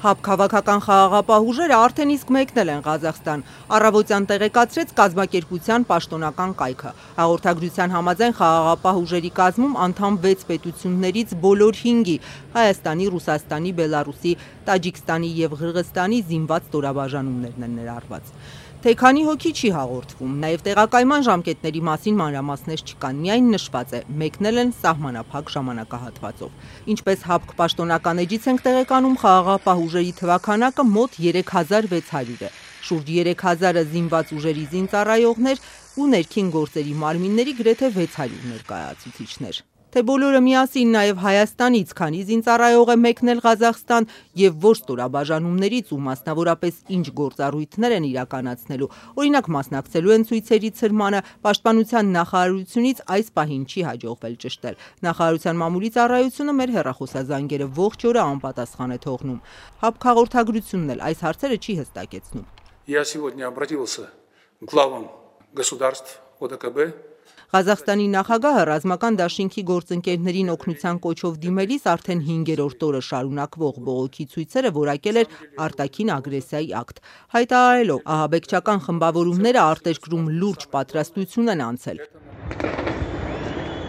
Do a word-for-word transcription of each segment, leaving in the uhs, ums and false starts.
Հապ քաղաքական խաղաղապահ ուժերը արդեն իսկ մեկնել են Ղազախստան, առավոտյան տեղեկացրեց կազմակերպության պաշտոնական կայքը։ Հաղորդագրության համաձայն խաղաղապահ ուժերի կազմում անդամ վեց պետություններից բոլոր հինգի՝ Հայաստանի, Ռուսաստանի, Բելարուսի, Տաջիկստանի և Ղրղստանի զինված ստորաբաժանումներն են ներառված։ Թե քանի հոգի չի հաղորդվում, նաև տեղակայման ժամկետների մասին մանրամասներ չկան, միայն նշված է մեկնել են սահմանափակ ժամանակահատվածով։ Ինչպես ՀԱՊԿ պաշտոնական էջից ենք տեղեկանում, խաղաղապահ ուժերի թվաքանակը մոտ երեք հազար վեց հարյուր է, շուրջ երեք հազարը զինված ուժերի զինծառայողներ ու ներքին գործերի մարմինների գրեթե վեց հարյուր ներկայացուցիչներ։ Թե բոլորը միասին նաև Հայաստանից քանի զինծառայող է մեկնել Ղազախստան և որ ստորաբաժանումներից ու մասնավորապես ինչ գործառույթներ են իրականացնելու, օրինակ մասնակցելու են ցույցերի ցրմանը, պաշտպանության նախարարությունից այս պահին չի հաջողվել ճշտել։ Նախարարության մամուլի ծառայությունը մեր հեռախոսազանգերը ողջ օրը անպատասխան է թողնում։ ՀԱՊԿ հաղորդագրությունն էլ այս հարցերը չի հստակեցնում։ Я сегодня обратился к главам государств ОДКБ. Ղազախստանի նախագահը ռազմական դաշինքի գործընկերներին օգնության կոչով դիմելիս արդեն հինգերորդ օրը շարունակվող բողոքի ցույցերը որակել էր արտաքին ագրեսիայի ակտ, հայտարարելով ահաբեկչական խմբավորումները արտերկրում լուրջ պատրաստություն են անցել։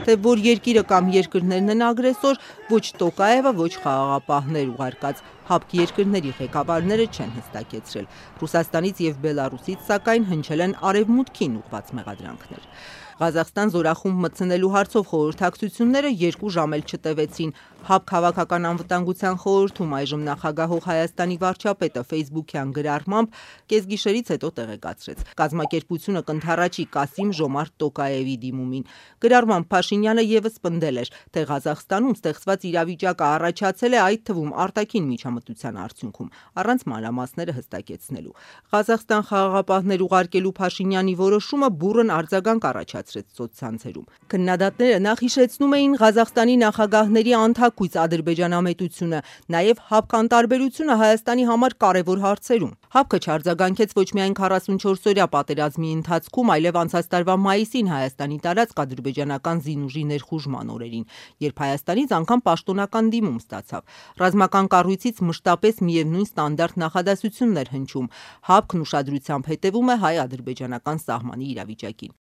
Թե որ երկիրը կամ երկրներն են ագրեսոր, ոչ Տոկաևը, ոչ խաղաղապահներ ուղարկած ՀԱՊԿ երկրների ղեկավարները չեն հստակեցրել։ Ռուսաստանից և Բելարուսից սակայն հնչել են արևմուտքին ուղղված մեղադրանքներ։ Ղազախստան զորախումբ մտցնելու հարցով խորհրդակցությունները երկու ժամ էլ չտևեցին։ ՀԱՊԿ քաղաքական անվտանգության խորհրդում այժմ նախագահող Հայաստանի վարչապետը ֆեյսբուքյան գրառմամբ կեսգիշերից հետո տեղեկացրեց. կազմակերպությունը կընդառաջի Կասիմ Ժոմարտ Տոկաևի դիմումին։ Գրառմամբ Փաշինյանը ևս պնդել էր, թե Ղազախստանում ստեղծված իրավիճակը առաջացել է այդ թվում արտաքին միջամտության արդյունքում, առանց մանրամասները հստակեցնելու։ Ղազախստան խաղաղապահներ ուղարկելու Փաշինյանի որոշումը բուռն արձագանք առաջացրեց սոցցանցերում։ Քննադատները նախ հիշեցնում էին Ղազախստանի նախագահների անթակույց ադրբեջանամետությունը, նաև ՀԱՊԿ անտարբերությունը Հայաստանի համար կարևոր հարցերում։ ՀԱՊԿ-ը չարձագանքեց ոչ միայն քառասունչորսօրյա պատերազմի ընթացքում, այլև անցած տարվա մայիսին Հայաստանի տարածք ադրբեջանական զինուժի ներխուժման օրերին, երբ Հայաստանից անգամ պաշտոնական դիմում ստացավ։ Ռազմական կառույցից մշտապես միևնույն ստանդարտ նախադասությունն էր հնչում. ՀԱՊԿ-ն ուշադրությամբ հետևում է հայ-ադրբեջանական սահմանի իրավիճակին։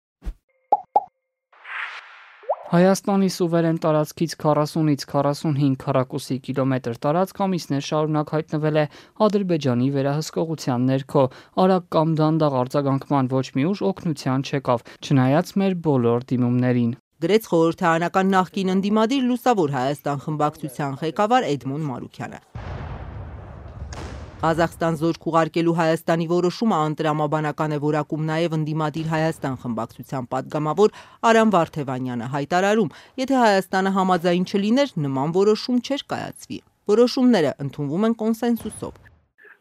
Հայաստանի սուվերեն տարածքից քառասունից քառասունհինգ քառակուսի կիլոմետր տարածք ամիսներ շարունակ հայտնվել է Ադրբեջանի վերահսկողության ներքո, արագ կամ դանդաղ արձագանքման ոչ մի ուժ օգնության չեկավ, չնայած մեր բոլոր դիմումներին։ Գրեց խորհրդարանական նախկին ընդդիմադիր Լուսավոր Հայաստան խմբակցության ղեկավար Էդմոն Մարուքյանը։ Ղազախստան զորք ուղարկելու Հայաստանի որոշումը անտրամաբանական է որակում նաև ընդդիմադիր Հայաստան խմբակցության падգամավոր Արամ Վարդևանյանը, հայտարարում, եթե Հայաստանը համաձայն չլիներ, նման որոշում չէր կայացվի։ Որոշումները ընդունվում են կոնսենսուսով։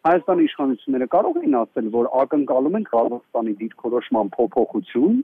Հայաստանի իշխանությունները կարող էին ասել, որ ակնկալում են Ղազախստանի դիրքորոշման փոփոխություն,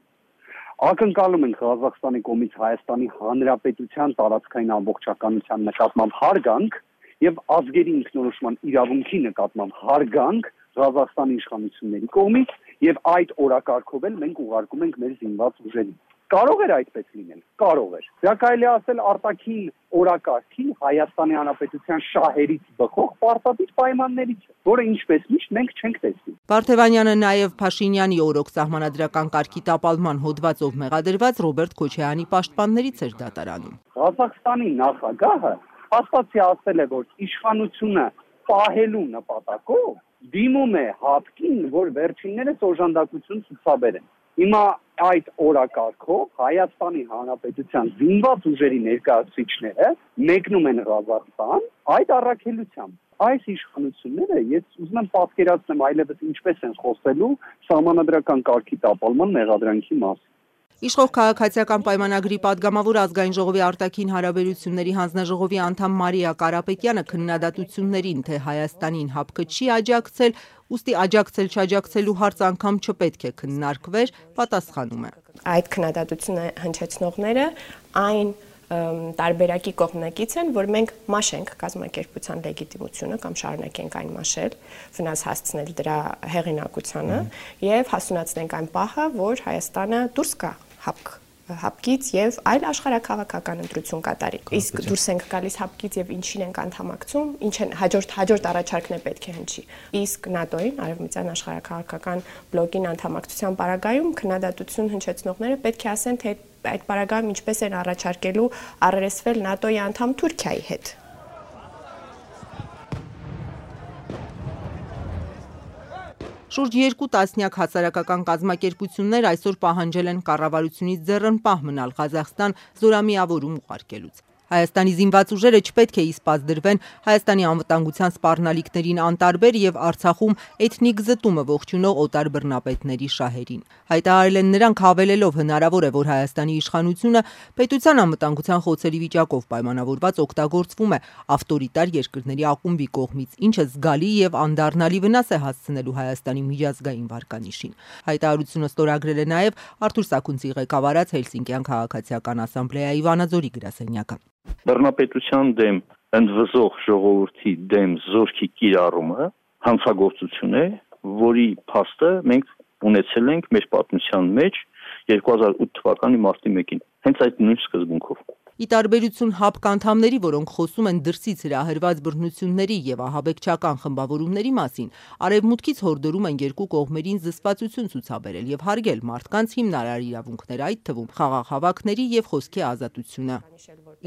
ակնկալում են Ղազախստանի կողմից Հայաստանի Հանրապետության տարածքային ամբողջականության նկատմամբ հարգանք և ազգերի ինքնորոշման իրավունքի նկատմամբ հարգանք Ղազախստանի իշխանությունների կողմից և այդ օրակարգով էլ մենք ուղարկում ենք մեր զինված ուժերին։ Կարող էր այդպես լինել, կարող էր։ Դա կարելի է ասել արտաքին օրակարգի Հայաստանի Հանրապետության շահերից բխող պարտադիր պայմաններից, որը ինչպես միշտ մենք չենք տեսնի։ Վարդևանյանը նաև Փաշինյանի օրոք սահմանադրական կարգի տապալման հոդվածով մեղադրված Ռոբերտ Քոչարյանի պաշտպաններից էր դատարանում։ Ղազախստանի նախագահը հաստատի ասել է, որ իշխանությունը պահելու նպատակով դիմում է ՀԱՊԿ-ին, որ վերջիններս օժանդակություն ցուցաբերեն։ Հիմա այդ օրակարգով Հայաստանի Հանրապետության զինված ուժերի ներկայացուցիչները մեկնում են Ղազախստան այդ առաքելությամբ։ Այս իշխանությունները, ես ուզում եմ պատկերացնեմ այլևս ինչպես են խոսելու սահմանադրական կարգի տապալման մեղադրանքի մասին։ Իշխող քաղաքացիական պայմանագրի падգամավոր ազգային ժողովի արտաքին հարաբերությունների հանձնաժողովի անդամ Մարիա Կարապետյանը քննադատություններին, թե Հայաստանին ՀԱՊԿ-ը չի աջակցել, ուստի աջակցել-չաջակցելու հարց անգամ չպետք է քննարկվեր, պատասխանում է։ Այդ քննադատությունը հնչեցնողները այն տարբերակի կողմնակից են, որ մենք մաշենք կազմակերպության լեգիտիմությունը կամ շարունակենք այն մաշել, վնաս հասցնել դրա հեղինակությանը և հասունացնենք այն պահը, որ Հայաստանը դուրս գա ՀԱՊԿ հապկից եւ այլ աշխարհաքաղաքական ընտրություն կատարի։ Իսկ դուրս ենք գալիս հապկից եւ ինչին ենք անդամակցում, ինչ են հաջորդ հաջորդ առաջարկն է պետք է հնչի։ Իսկ ՆԱՏՕ-ին, Արևմտյան աշխարհաքաղաքական բլոկին անդամակցության պարագայում քննադատություն հնչեցնողները պետք է ասեն, թե այդ պարագայում ինչպես են առաջարկելու առերեսվել ՆԱՏՕ-ի անդամ Թուրքիայի հետ։ Շուրջ երկու տասնյակ հասարակական կազմակերպություններ այսօր պահանջել են կառավարությունից ձեռնպահ մնալ Ղազախստան զորամիավորում ուղարկելուց։ Հայաստանի զինված ուժերը չպետք է իսպած դրվեն Հայաստանի անվտանգության սպառնալիքներին անտարբեր եւ Արցախում էթնիկ զտումը ողջունող օտար բռնապետների շահերին։ Հայտարարել են նրանք, հավելելով հնարավոր է, որ Հայաստանի իշխանությունը պետության անվտանգության խոցերի վիճակով պայմանավորված օգտագործվում է ավտորիտար երկրների ակումբի կողմից, ինչը զգալի եւ անդառնալի վնաս է հասցնելու Հայաստանի միջազգային վարկանիշին։ Հայտարարությունը ստորագրել է նաեւ Արթուր Սաքունցի ղեկավարած Հելսինկյան քաղաքացիական ասամբլեայի Վանաձորի գրասենյակը։ Բռնապետության դեմ ընդվզող ժողովրդի դեմ զորքի կիրառումը հանցագործություն է, որի փաստը մենք ունեցել ենք մեր պատմության մեջ երկու հազար ութ թվականի մարտի մեկին, հենց այդ նույն սկզբունքով։ Ի տարբերություն ՀԱՊԿ անդամների, որոնք խոսում են դրսից հրահրված բռնությունների եւ ահաբեկչական խմբավորումների մասին, արևմուտքից հորդորում են երկու կողմերին զսպվածություն ցուցաբերել եւ հարգել մարդկանց հիմնարար իրավունքներ, այդ թվում խաղաղ հավաքների եւ խոսքի ազատությունը։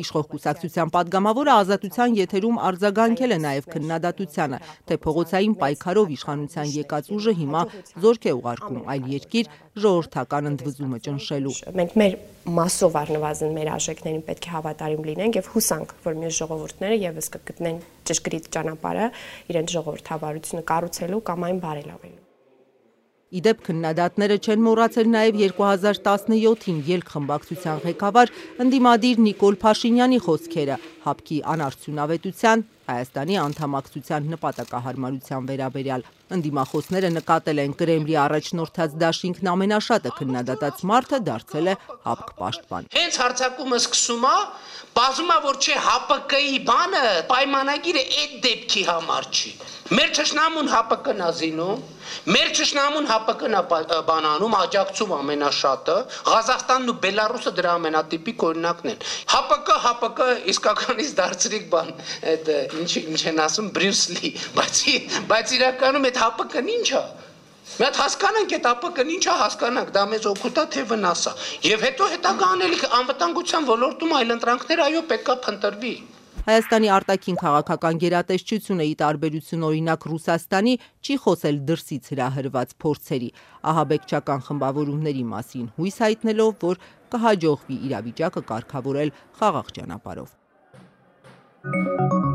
Իշխող կուսակցության падգամավորը Ազատության եթերում արձագանքել է նաեւ քննադատությանը, թե փողոցային պայքարով իշխանության եկած ուժը հիմա զորք է ուղարկում այլ երկիր ժողովրդական ընդվզումը ճնշելու։ Մենք մեր մասով առնվազն մեր արժեքներին պետք է հավատարիմ լինենք եւ հուսանք, որ մեր ժողովուրդները եւս կգտնեն ճշգրիտ ճանապարհը իրենց ժողովրդավարությունը կառուցելու կամ այն բարելավելու։ Իդեպ քննադատները չեն մոռացել նաև երկու հազար տասնյոթին ելք խմբակցության ղեկավար ընդդիմադիր Նիկոլ Փաշինյանի խոսքերը ՀԱՊԿ-ի անարդյունավետության, Հայաստանի անդամակցության նպատակահարմարության վերաբերյալ։ Ընդդիմախոսները նկատել են Կրեմլի առաջնորդած դաշինքն ամենաշատը քննադատած մարդը դարձել է ՀԱՊԿ պաշտպան։ Հենց հարձակումը սկսում է, բազում է որ չէ ՀԱՊԿ-ի բանը պայմանագիրը այդ դեպքի համար չի։ Մեր ճշնամուն ՀԱՊԿ-ն է զինում, մեր ճշնամուն ՀԱՊԿ-ն է բանանում, աջակցում ամենաշատը, Ղազախստանն ու Բելարուսը դրա ամենատիպիկ օրինակն են։ ՀԱՊԿ, ՀԱՊԿ իսկականից դարձրիկ բան, այդ ինչ ինչ են ասում Բրյուս Լի, բայց բայց իրականում այդ ՀԱՊԿ-ն ինչ է։ Մի հատ հասկանանք այդ ՀԱՊԿ-ն ինչ է, հասկանանք, դա մեզ օգուտ է թե վնաս է։ Եվ հետո հետագա անելիք անվտանգության ոլորտում այլ ընտրանքներ այո պետքա փնտրվի։ Հայաստանի արտաքին քաղաքական գերատեսչությունը ի տարբերություն օրինակ Ռուսաստանի չի խոսել դրսից հրահրված փորձերի, ահաբեկչական խմբավորումների մասին, հույս հայտնելով, որ կհաջողվի իրավիճակը կարգավորել խաղաղ ճանապարհով։